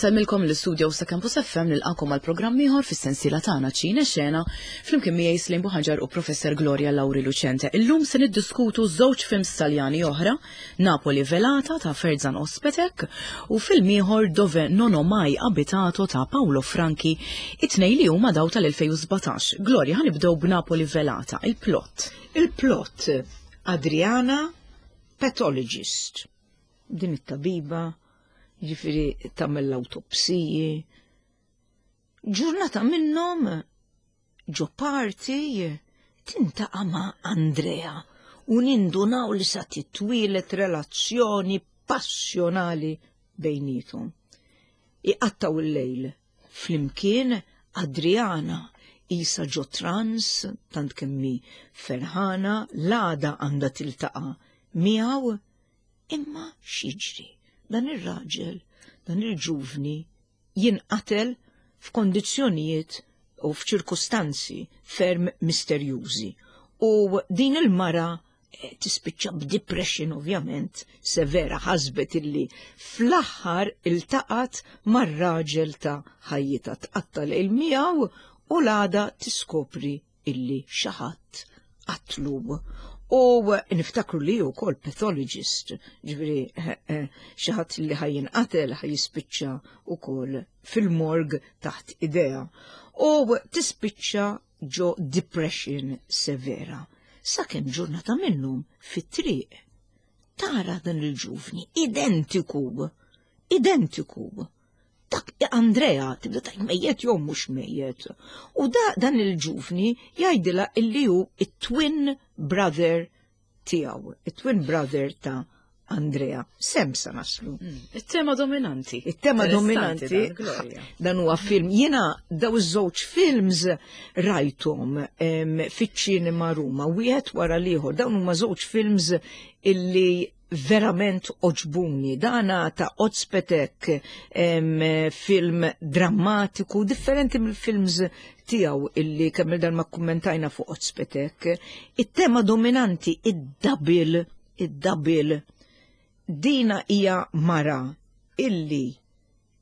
Insellmilkom l-istudio sa' Campus FM nilqakom għal programm ieħor fis-sensiela tagħna Ċine Xena flimkien miegħi Slim Buħaġar u Professor Gloria Lauri Lucente. Illum se niddiskutu żewġ films Taljani oħra, Napoli Velata ta' Ferzan Ospetek u film ieħor Dove non ho mai abitato ta' Paolo Franchi, it-tnej li huma daw tal-2017. Gloria, ħanibdew b'Napoli Velata, il-plot. Il-plot Adriana Pathologist. Din it-tabiba, ġifiri tagħmel l-awtopsiji. Ġurnata minnhom ġo party tintaqa' ma' Andrea u nindunaw li sa titwieled relazzjoni passjonali bejnietom. Iqattaw il-lejl flimkien Adriana isa ġo trans tant kemmi ferħana l-għada għandha tiltaqa' miegħu imma x'jiġri? Dan ir-raġel, dan il-ġuvni jinqatel f'kondizzjonijiet u f'ċirkustanzi ferm misterjużi. U din il-mara eh, tispiċċa b'depression ovvjament severa ħasbet illi fl-aħħar iltaqat mar-raġel ta' ħajjitha tqatta' lejl miegħu u l-għada tiskopri illi xi ħadd qatlu. U niftakru li hu wkoll pathologist, ġifieri eh, eh, xi ħadd li ħaj jinqatel ħaj jispiċċa wkoll fil-morg taħt idea. U tispiċċa ġo depression severa. Sakemm ġurnata minnhom fit-triq tara dan il-ġuvni identiku, identiku dak Andrea tibda tajt mejjet jew mhux mejjet. U da dan il-ġuvni jgħidilha illi hu it-twin brother tiegħu, it-twin brother ta' Andrea. Sem sa naslu. Hmm. It-tema dominanti. It-tema dominanti. Dan huwa film. Jiena daw iż-żewġ films rajthom fiċ-ċinema Ruma, wieħed wara l-ieħor. Dawn huma żewġ films illi verament oġbuni. Dana ta' Ozpetek film drammatiku differenti mill-films tiegħu illi kemm il ma kummentajna fuq Ozpetek. It-tema dominanti id-double, id-double dina hija mara illi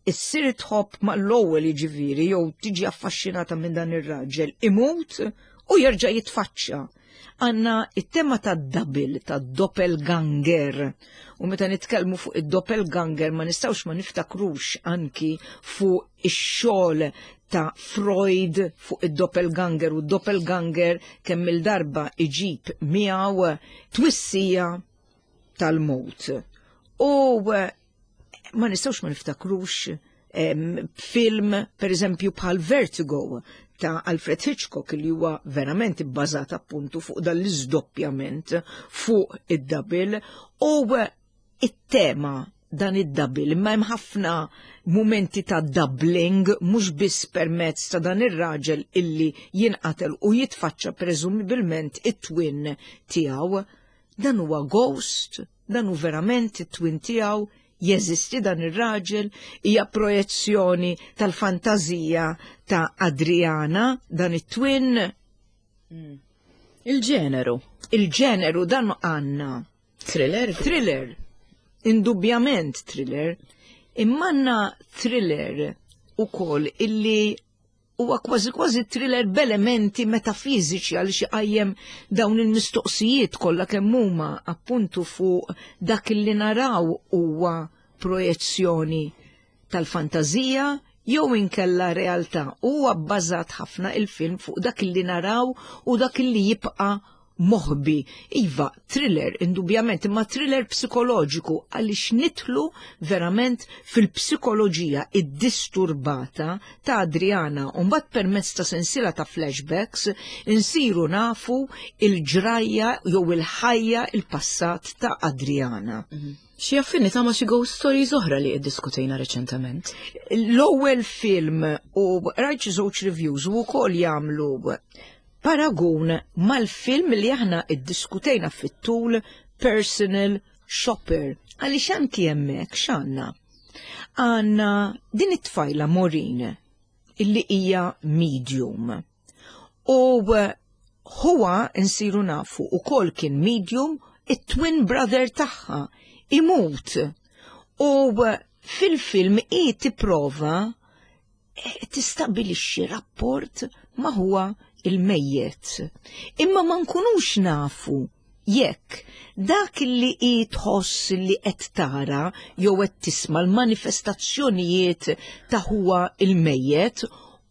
issir tħobb mal-ewwel jiġifieri jew tiġi affaxxinata minn dan ir-raġel imut u jerġa' jitfaċċa. Għanna it-tema ta' double, ta' doppelganger. U meta nitkellmu fuq id-doppelganger ma nistgħux ma niftakrux anki fuq ix-xogħol ta' Freud fuq id-doppelganger u d-doppelganger kemm il-darba iġib miegħu twissija tal-mowt. U ma nistgħux ma niftakrux film per eżempju bħal Vertigo ta' Alfred Hitchcock li huwa verament ibbażat appuntu fuq dan l-iżdoppjament fuq id-double u it-tema dan id-double imma hemm ħafna mumenti ta' doubling mhux biss permezz ta' dan ir-raġel illi jinqatel u jitfaċċa preżumibilment it-twin tiegħu. Dan huwa ghost Dan hu verament it-twin tiegħu? Jeżisti dan ir-raġel? Hija projezzjoni tal-fantażija ta' Adriana dan it-twin? Hmm. Il-ġeneru. Il-ġeneru dan għandna. Thriller? Thriller. Indubjament thriller. Imma għandna thriller ukoll illi huwa kważi kważi thriller b'elementi metafiżiċi għaliex iqajjem dawn il-mistoqsijiet kollha kemm huma appuntu fuq dak li naraw huwa projezzjoni tal-fantażija jew inkella realtà. Huwa bbażat ħafna il-film fuq dak li naraw u dak li jibqa' moħbi. Iva, thriller, indubjament, imma thriller psikoloġiku għaliex nidħlu verament fil-psikoloġija iddisturbata ta' Adriana u mbagħad permezz ta' sensiela ta' flashbacks insiru nafu il-ġrajja jew il-ħajja il-passat ta' Adriana. Mhm. Xi affinità ma' xi ghost stories oħra li iddiskutejna reċentement? L-ewwel film u rajt xi żewġ reviews u wkoll jagħmlu Paragun mal-film li aħna iddiskutejna fit-tul Personal Shopper. Għaliex anki hemmhekk x'għandna? Għandna din it-tfajla Maureen illi hija medium. U huwa nsiru nafu ukoll kien medium it-twin brother tagħha imut. U. Fil-film hi tipprova eh, tistabbilixxi rapport ma' huwa il-mejjet. Imma ma nkunux nafu jekk dak li hi tħoss li qed tara jew qed tisma' l-manifestazzjonijiet ta' huwa il-mejjet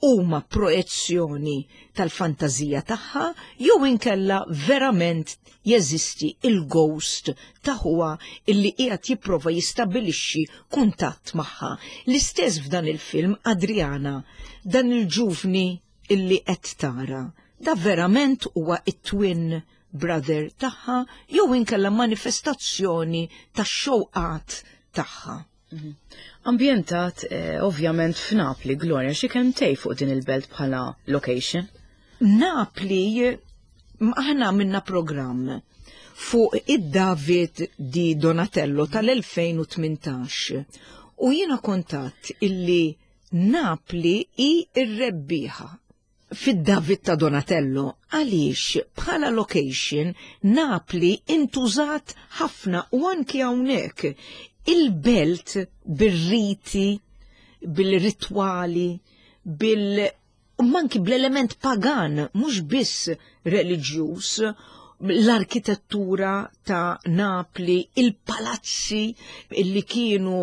huma projezzjoni tal-fantażija tagħha jew inkella verament jeżisti il-ghost ta' ħuha illi qiegħed jipprova jistabbilixxi kuntatt magħha. L-istess f'dan il-film Adriana, dan il-ġuvni illi qed tara, da verament huwa it-twin brother tagħha jew inkella manifestazzjoni tax-xewqat tagħha. Mhm. Ambjentat eh, ovvjament f'Napli, Gloria, xi kemm tej fuq din il-belt bħala location? Napli aħna minna programm fuq id-David di Donatello tal-2018 u jiena kontat illi Napli hi r-rebbieħa fid-David ta' Donatello għaliex bħala location Napli intużat ħafna u anki hawnhekk il-belt bir-riti, bil-ritwali, bil manki bl-element pagan, mhux biss reliġjuż, l-arkitettura ta' Napli, il-palazzi li kienu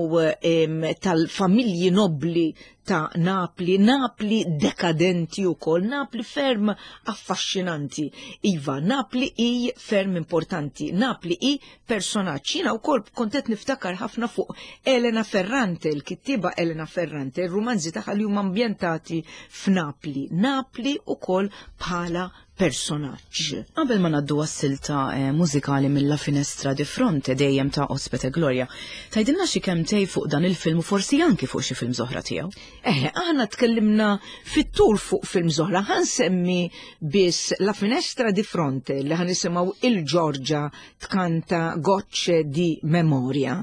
tal-familji nobli ta' Napli, Napli dekadenti u kol, Napli ferm affaxxinanti. Iva, Napli i ferm importanti, Napli i personaġġ. Jiena wkoll kont qed niftakar ħafna fuq Elena Ferrante, il-kittieba Elena Ferrante, il-rumanzi tagħha li huma ambjentati f'Napli. Napli ukoll bħala personaġġ. Qabel ma ngħaddu għas-silta eh, mużikali mill Finestra di Fronte dejjem ta' Ospite Gloria, tgħidilna xi kelmtejn fuq dan il-film u forsi anki fuq xi film oħra tiegħu. Eh, aħna tkellimna fit-tul fuq film oħra, ħa nsemmi biss La Finestra di Fronte li ħa nisimgħu il-Giorgia tkanta Gocce di Memoria.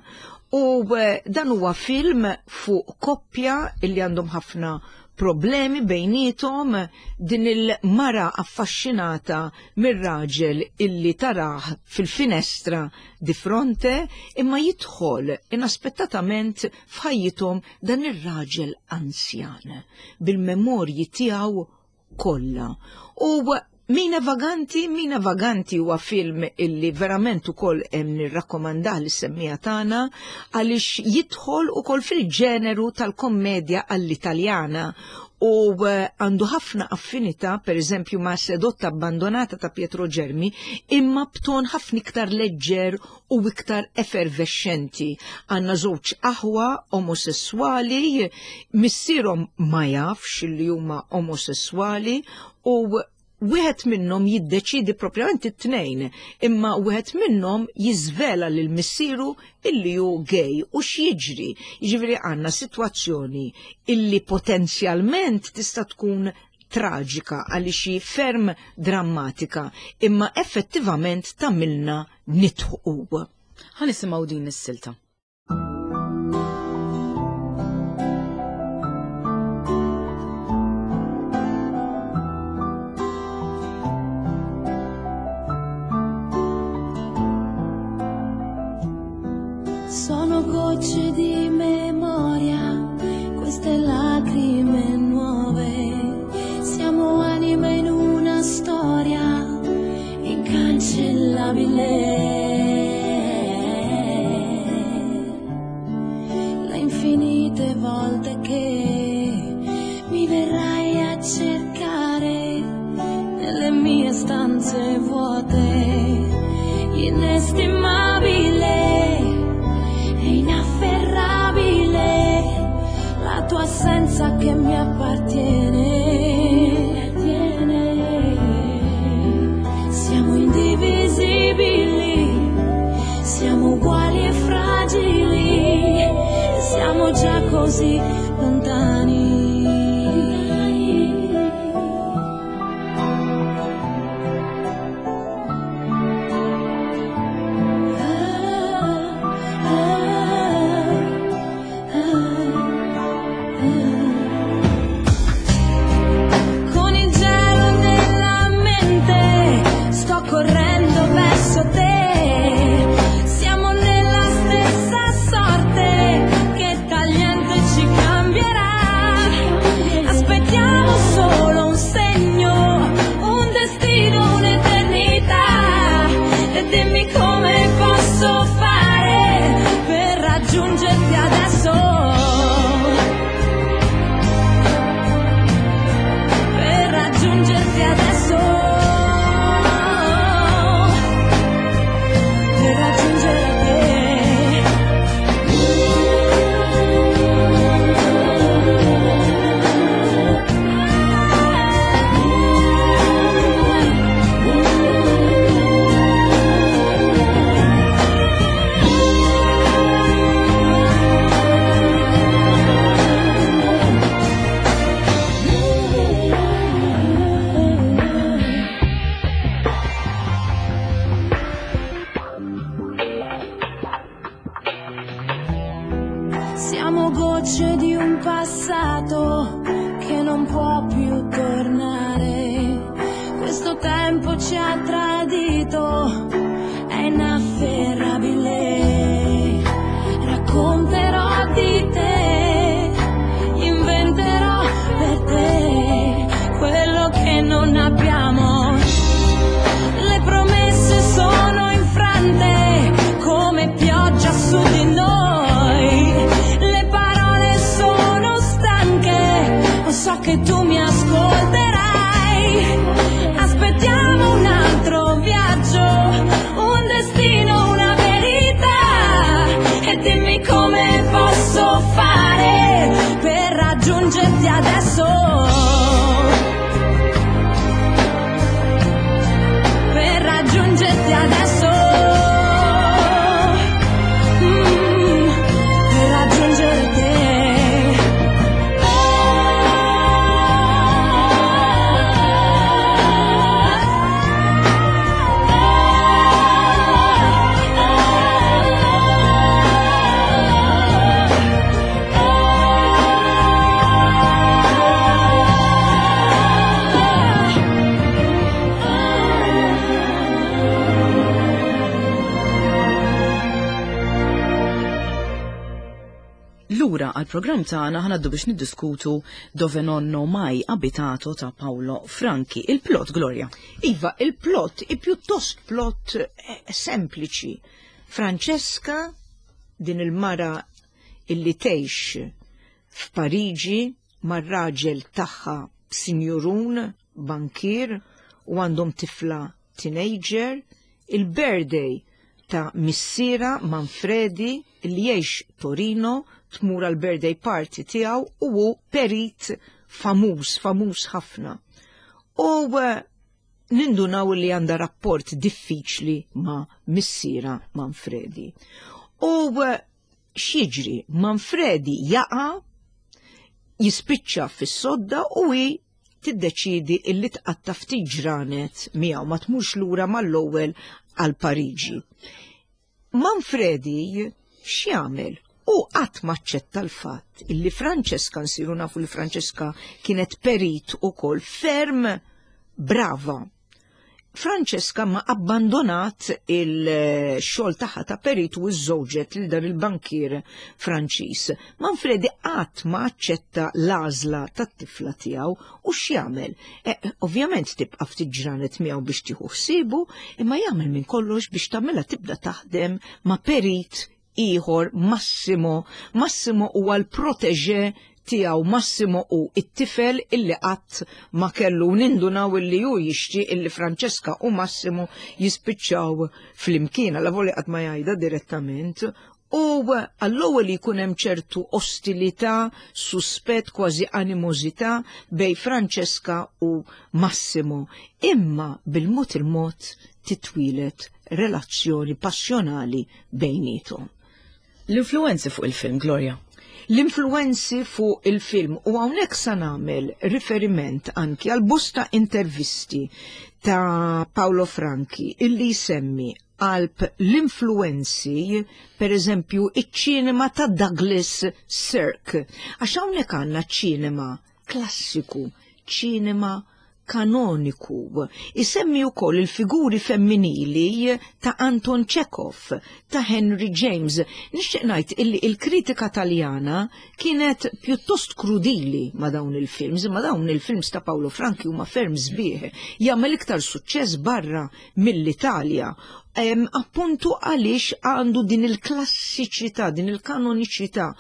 U eh, dan huwa film fuq koppja illi għandhom ħafna problemi bejnietom din il-mara affaxxinata mir-raġel illi tarah fil-finestra di fronte imma jidħol inaspettatament f'ħajjithom dan ir-raġel anzjan bil-memorji tiegħu kollha. U Mina Vaganti, Mina Vaganti huwa film illi verament ukoll hemm nirrakkomandah lis-semmiegħa tagħna għaliex jidħol ukoll fil-ġeneru tal-kommedja għall-Italjana u eh, għandu ħafna affinità per eżempju ma' Sedotta Abbandonata ta' Pietro Germi imma b'ton ħafna iktar leġġer u iktar effervescenti. Għandna żewġ aħwa omosessuali, missierhom ma jafx li huma omosessuali u wieħed minnhom jiddeċidi propjament it-tnejn, imma wieħed minnhom jiżvela lil missieru illi hu gay u x'jiġri. Jiġifieri għandna sitwazzjoni illi potenzjalment tista' tkun traġika għaliex hi ferm drammatika, imma effettivament tagħmilna nidħqu. Ħa nisimgħu din is-silta. Sono gocce di memoria, queste lacrime nuove. Siamo anime in una storia incancellabile. Le infinite volte che mi verrai a cercare nelle mie stanze vuote, inestimabile e inafferrabile, la tua assenza che mi appartiene. Siamo indivisibili, siamo uguali e fragili, siamo già così lontani. Ah, ah, ah, ah. Con il gelo nella mente sto correndo verso te. Siamo nella stessa sorte che tagliamo. ha tradito è inafferrabile. Racconterò di te, inventerò per te quello che non abbiamo. Le promesse sono infrante come pioggia su di noi. Le parole sono stanche, so che tu mi ascolterai. Aspettiamo un altro viaggio, un destino, una verità. E dimmi come posso fare per raggiungerti adesso. Per raggiungerti adesso. Per raggiungere te. Lura għal-programm tagħna ħanaddu biex niddiskutu Dove nonno mai abitato ta' Paolo Franchi. Il-plot, Gloria. Iva, il-plot, i pjuttost plot sempliċi. Francesca, din il-mara illi tgħix f'Pariġi mar-raġel tagħha sinjurun, bankier, u għandhom tifla teenager, il-birthday ta' missiera Manfredi li jgħix Torino tmur għal birthday party tiegħu u hu perit famuż, famuż ħafna. U nindunaw li għandha rapport diffiċli ma' missiera Manfredi. U x'jiġri? Manfredi jaqa' jispiċċa fis-sodda u hi tiddeċiedi illi tqatta' ftit ġranet miegħu ma tmurx lura mal-ewwel għal Pariġi. Manfredi x'jagħmel? U qatt maċċetta l-fatt illi Francesca, nsiru nafu li Francesca kienet perit ukoll ferm brava. Francesca ma abbandonat il-xogħol tagħha ta' perit u żżewġet lil dan il-bankier Franċiż. Manfredi qatt ma aċċetta l-għażla tat-tifla tiegħu u x'jagħmel? Ovvjament tibqa' ftit ġranet miegħu biex tieħu ħsiebu, imma jagħmel minn kollox biex tagħmilha tibda taħdem ma' perit ieħor Massimo. Massimo huwa l-proteġe tiegħu, Massimo hu it-tifel illi qatt ma kellu, nindunaw illi hu jixtieq illi Francesca u Massimo jispiċċaw flimkien, alla volja qatt ma jgħidha direttament. U għall-ewwel jkun hemm ċertu ostilità, suspett, kważi animożità bej Francesca u Massimo, imma bil-mod il-mod titwieled relazzjoni passjonali bejniethom. L-influenzi fuq il-film, Gloria? L-influenzi fuq il-film, u hawnhekk sa nagħmel riferiment anki għal bosta intervisti ta' Paolo Franchi illi jsemmi qalb l-influenzi, per eżempju, iċ-ċinema ta' Douglas Sirk. Għax hawnhekk għandna ċinema klassiku, ċinema kanoniku. Isemmi wkoll il-figuri femminili ta' Anton Chekhov, ta' Henry James. Nixtieq ngħid illi il-kritika Taljana kienet pjuttost krudili ma' dawn il-films, imma dawn il-films ta' Paolo Franchi huma ferm sbieħ, jagħmel iktar suċċess barra mill-Italja. Appuntu għaliex għandu din il-klassiċità, din il-kanoniċità.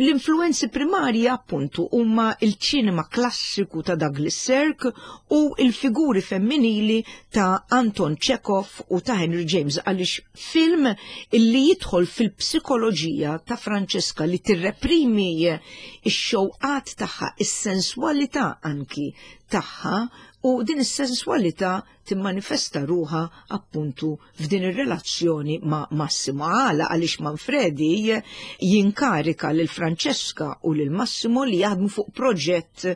L-influenzi primarji appuntu huma il-ċinema klassiku ta' Douglas Sirk u il-figuri femminili ta' Anton Chekhov u ta' Henry James, għaliex film illi jidħol fil-psikoloġija ta' Francesca li tirreprimi x-xewqat tagħha, is-senswalità anki tagħha, u din is-senswalità timmanifesta ruħha appuntu f'din ir-relazzjoni ma' Massimo. Għala għaliex Manfredi jinkarika lil Francesca u lil Massimo li jaħdmu fuq proġett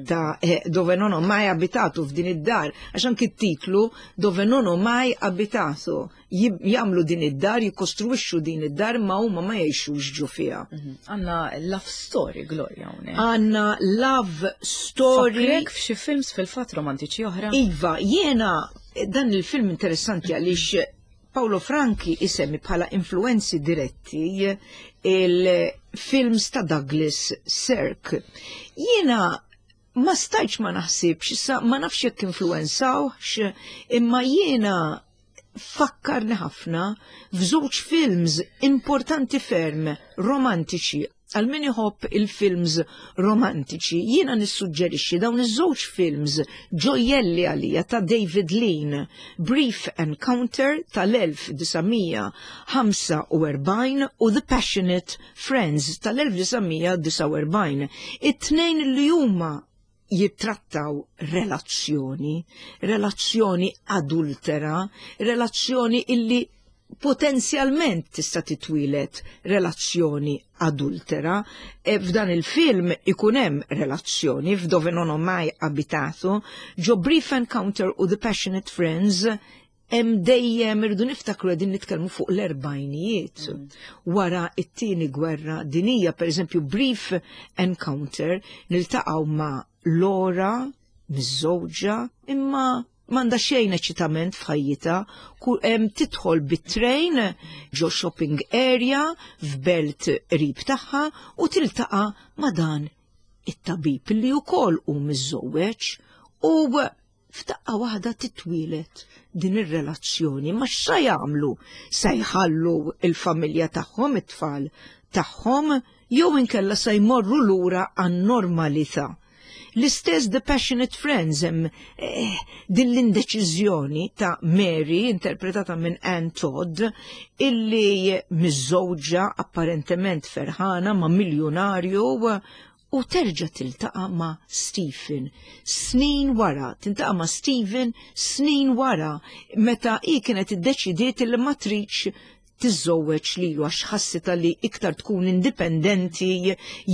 ta' Dove non ho mai abitato f'din id-dar, għax anki t-titlu Dove non ho mai abitato, jagħmlu din id-dar, jikkostruixxu din id-dar, ma huma ma jgħixux ġo fiha. Għandna love story, Gloria, hawnhekk. Għandna love story. Fakrek f'xi films fil-fatt romantiċi oħra? Iva, jiena Dan il-film interessanti għaliex Paolo Franchi isemmi bħala influenzi diretti il-films ta' Douglas Sirk. Jiena ma stajtx ma naħsibx, issa ma nafx jekk influenzawx, imma jiena fakkarni ħafna f'żewġ films importanti ferm romantiċi għal min iħobb il-films romantiċi, jiena nissuġġerixxi dawn iż-żewġ films ġojjelli għalija ta' David Lean, Brief Encounter tal-1945 u The Passionate Friends tal-1949. It-tnejn li huma jittrattaw relazzjoni, relazzjoni adultera, relazzjoni illi potenzjalment tista' titwieled relazzjoni adultera. E f'dan il-film ikun hemm relazzjoni f'Dove non ho mai abitato, ġo Brief Encounter u The Passionate Friends hemm dejjem irridu niftakru qegħdin nitkellmu fuq l-erbajnijiet. Wara it-tieni gwerra dinija, pereżempju Brief Encounter, niltaqgħu ma' Laura, miżżewġa, imma m'għandha xejn eċitament f'ħajjitha, tidħol bit-train ġo shopping area f'belt qrib tagħha u tiltaqa' ma' dan it-tabib li wkoll hu miżżewweġ u f'daqqa waħda titwieled din ir-relazzjoni. Ma x'sa jagħmlu? Se jħallu il-familja tagħhom, it-tfal tagħhom, jew inkella se jmorru lura għan-normalità. L-istess The Passionate Friends hemm eh, din l-indeċiżjoni ta' Mary interpretata minn Ann Todd illi miżżewġa apparentement ferħana ma' miljonarju u terġa' tiltaqa' ma' Stephen snin wara, tiltaqa' ma' Stephen snin wara meta hi kienet iddeċidiet li ma tridx tiżżewweġ lilu għax ħassitha li iktar tkun indipendenti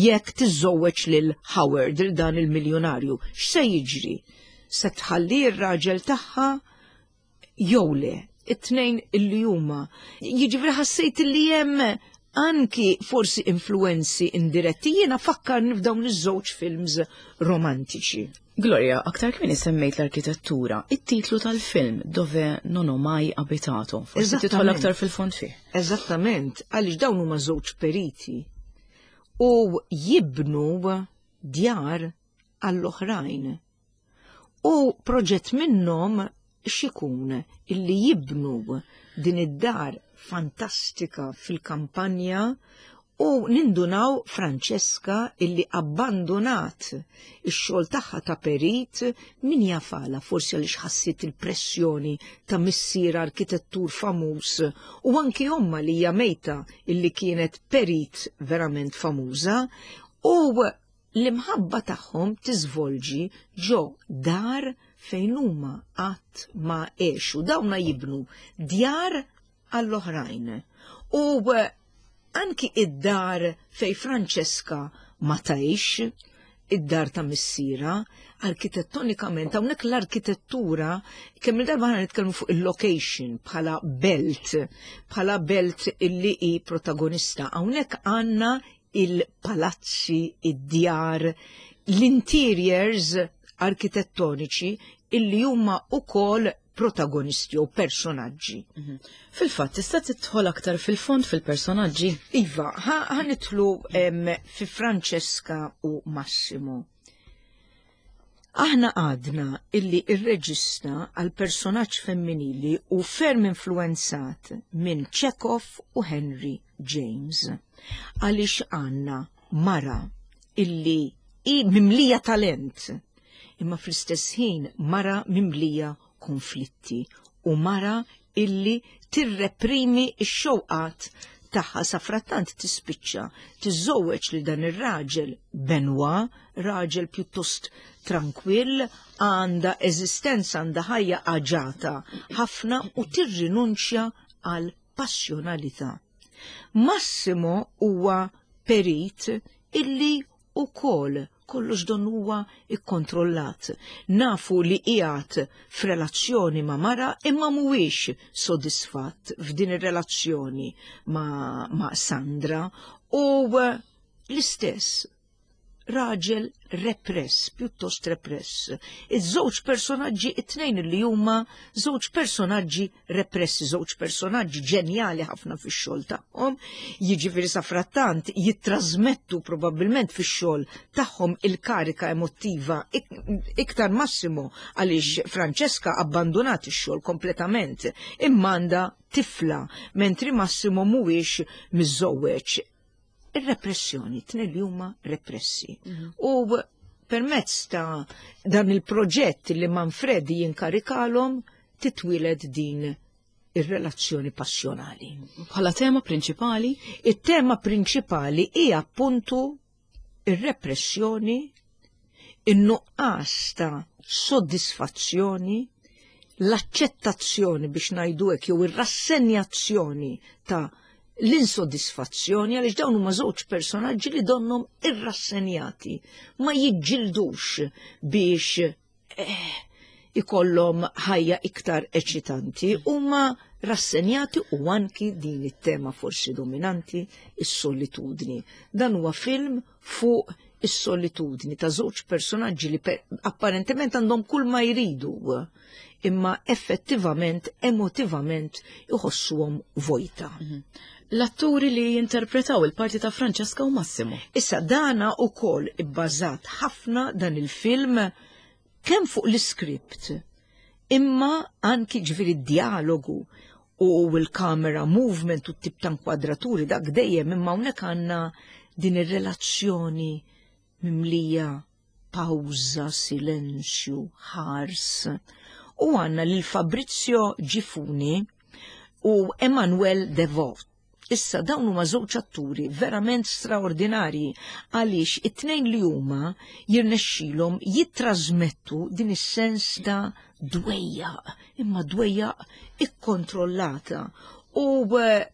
jekk tiżżewweġ lil Howard, lil dan il-miljonarju. X'se jiġri? Se tħalli r-raġel tagħha jew le? It-tnejn illi huma. Jiġifieri ħassejt li hemm anki forsi influenzi indiretti jiena fakkarni f'dawn iż-żewġ films romantiċi. Gloria, aktar kmieni semmejt l-arkitettura, it-titlu tal-film Dove non ho mai abitato. Forsi tidħol aktar fil-fond fih. Eżattament, għaliex dawn huma żewġ periti u jibnu djar għall-oħrajn. U proġett minnhom x'ikun illi jibnu din id-dar fantastika fil-kampanja u nindunaw Francesca illi abbandonat ix-xogħol tagħha ta' perit min jafala forsi għaliex ħassit il-pressjoni ta' missier arkitettur famuż u anki omma li hija mejta illi kienet perit verament famuża u L-imħabba tagħhom tiżvolġi ġo dar fejn huma qatt ma għexu. Dawna jibnu djar għall-oħrajn. U anki id-dar fej Francesca ma tgħix, id-dar ta' missiera, arkitettonikament, hawnhekk l-arkitettura, kemm il-darba ħana nitkellmu fuq il-location bħala belt, bħala belt illi hi protagonista. Hawnhekk għandna il-palazzi, id-djar, l-interiors arkitettoniċi illi huma ukoll protagonisti u personaġġi. Mhm. Fil-fatt, tista' tidħol aktar fil-fond fil-personaġġi? Iva, ħa nidħlu fi Francesca u Massimo. Aħna għadna illi ir-reġista għal personaġġ femminili u ferm influenzat minn Chekhov u Henry James. Għaliex għandna mara illi hi mimlija talent, imma fl-istess ħin mara mimlija konflitti u mara illi tirreprimi x-xewqat tagħha sa frattant tispiċċa tiżżewweġ li dan ir-raġel Benoit, raġel pjuttost trankwill, għandha eżistenza għandha ħajja aġata ħafna u tirrinunċja għal passjonalità. Massimo huwa perit illi ukoll kollox don huwa ikkontrollat. Nafu li qiegħed f'relazzjoni ma' mara imma mhuwiex sodisfatt f'din ir-relazzjoni ma', ma Sandra u l-istess. raġel repress, pjuttost repress. Iż-żewġ personaġġi, it-tnejn li huma żewġ personaġġi repressi, żewġ personaġġi ġenjali ħafna fix-xogħol tagħhom, jiġifieri safrattant jittrażmettu probabbilment fix-xogħol tagħhom il-karika emottiva iktar Massimo għaliex Francesca abbandunat ix-xogħol kompletament imma għandha tifla, mentri Massimo mhuwiex miżżewweġ. Ir-repressjoni, tnejn li huma repressi. U permezz ta' dan il-proġett li Manfredi jinkarikalhom titwieled din ir-relazzjoni passjonali. Bħala tema prinċipali? It-tema prinċipali hija appuntu ir-repressjoni, in-nuqqas ta' soddisfazzjoni, l-aċċettazzjoni biex ngħidu hekk jew ir-rassenjazzjoni ta' l-insodisfazzjoni għaliex dawn huma żewġ personaġġi li donnhom irrassenjati, ma jiġġildux biex eh, ikollhom ħajja iktar eċitanti, huma rassenjati u anki din it-tema forsi dominanti, is-solitudni. Dan huwa film fuq is-solitudni ta' żewġ personaġġi li apparentement għandhom kull ma jridu, imma effettivament, emotivament iħossuhom vojta. L-atturi li jinterpretaw il-parti ta' Francesca u Massimo. Issa dana ukoll ibbażat ħafna dan il-film kemm fuq l-iskript, imma anki ġifieri d-dialogu u l-camera movement u t-tip ta' inkwadraturi dak dejjem, imma hawnhekk għandna din ir-relazzjoni mimlija pawża, silenzju, ħars. U għandna lil Fabrizio Gifuni u Emmanuel Devot. Issa dawn huma żewġ atturi verament straordinarji għaliex it-tnejn li huma jirnexxilhom jittrażmettu din is-sens ta' dwejjaq, imma dwejjaq ikkontrollata u eh,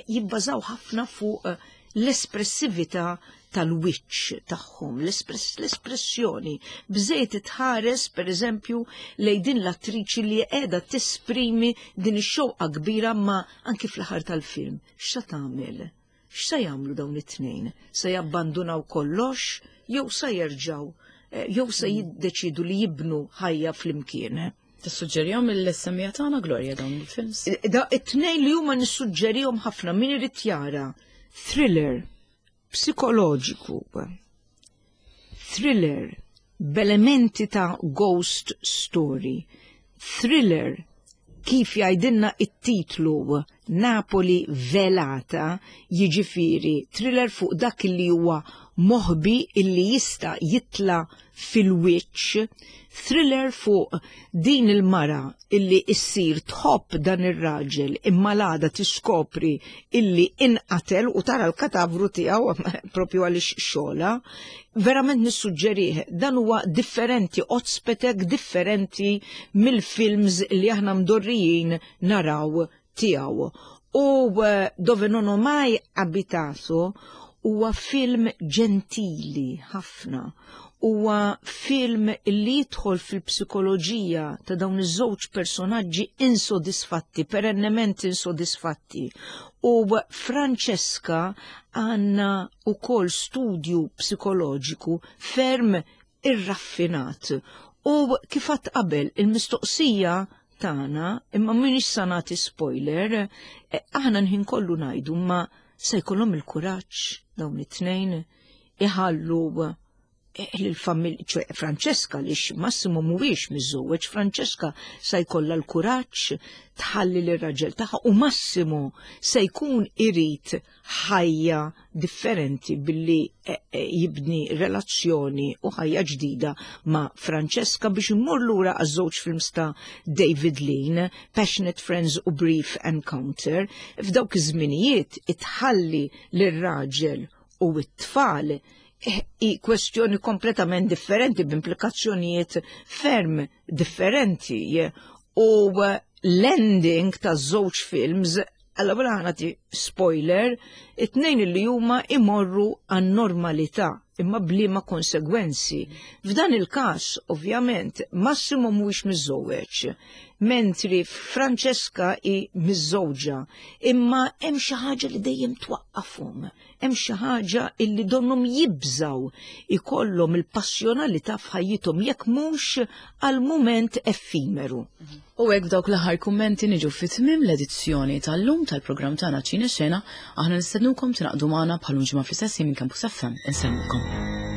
jibbażaw ħafna fuq eh, l-espressività tal-wiċċ tagħhom, l-espressjoni. Bżejt tħares, per eżempju, lej din l-attriċi li qiegħda tesprimi din ix-xewqa kbira ma anki fl-aħħar tal-film. X'sa tagħmel? X'sa jagħmlu dawn it-tnejn? Se jabbandunaw kollox jew sa jerġgħu eh, jew se jiddeċidu li jibnu ħajja flimkien? Tissuġġerihom il-semmija tagħna Gloria dawn il-films? Eh, da it-tnejn li huma nissuġġerihom ħafna min irid jara thriller psikoloġiku, thriller b'elementi ta' ghost story, thriller kif jgħidilna it-titlu Napoli velata, jiġifieri thriller fuq dak li huwa moħbi illi jista' jitla' fil-wiċċ, thriller fuq din il-mara illi issir tħobb dan ir-raġel imma l-għada tiskopri illi inqatel u tara l-katavru tiegħu propju għaliex xogħla. Verament nissuġġerih, dan huwa differenti, otspetek differenti mill-films li aħna mdorrijin naraw tiegħu. U eh, Dove non ho mai abitato huwa film ġentili ħafna. Huwa film li jidħol fil-psikoloġija ta' dawn iż-żewġ personaġġi insodisfatti, perennement insodisfatti. U Francesca għandna ukoll studju psikoloġiku ferm irraffinat. U kif għadt qabel, il-mistoqsija tagħna, imma m'iniex sa nagħti spoiler, eh, aħna nħin kollu ngħidu ma se jkollhom il-kuraġġ dawn it-tnejn iħallu eh, l-familja, ċe Francesca li Massimo mhuwiex miżżewweġ, Francesca se jkollha l-kuraġġ tħalli lir-raġel tagħha u Massimo se jkun irid ħajja differenti billi eh, eh, jibni relazzjoni u ħajja ġdida ma' Francesca biex immur lura għaż-żewġ films ta' David Lean, Passionate Friends u Brief Encounter, f'dawk iż-żminijiet itħalli lir-raġel u t-tfal eh, i kwestjoni kompletament differenti b'implikazzjonijiet ferm differenti u l-ending ta' żewġ films Allora ħa nagħti spoiler, it-tnejn li huma imorru għan-normalità. imma bliema konsegwenzi. F'dan il-każ, ovvjament, Massimo mhuwiex miżżewweġ, mentri Francesca hi miżżewġa, imma hemm xi ħaġa li dejjem twaqqafhom, hemm xi ħaġa illi donnhom jibżgħu ikollhom il-passjonalità f'ħajjithom jekk mhux għal mument effimeru. U hekk b'dawk l-aħħar kummenti niġu fi tmiem l-edizzjoni tal-lum tal-programm tagħna Ċine Xena, aħna nistednukom tingħaqdu magħna bħal ġimgħa fl-istess minn Campus FM. Insellmulkom.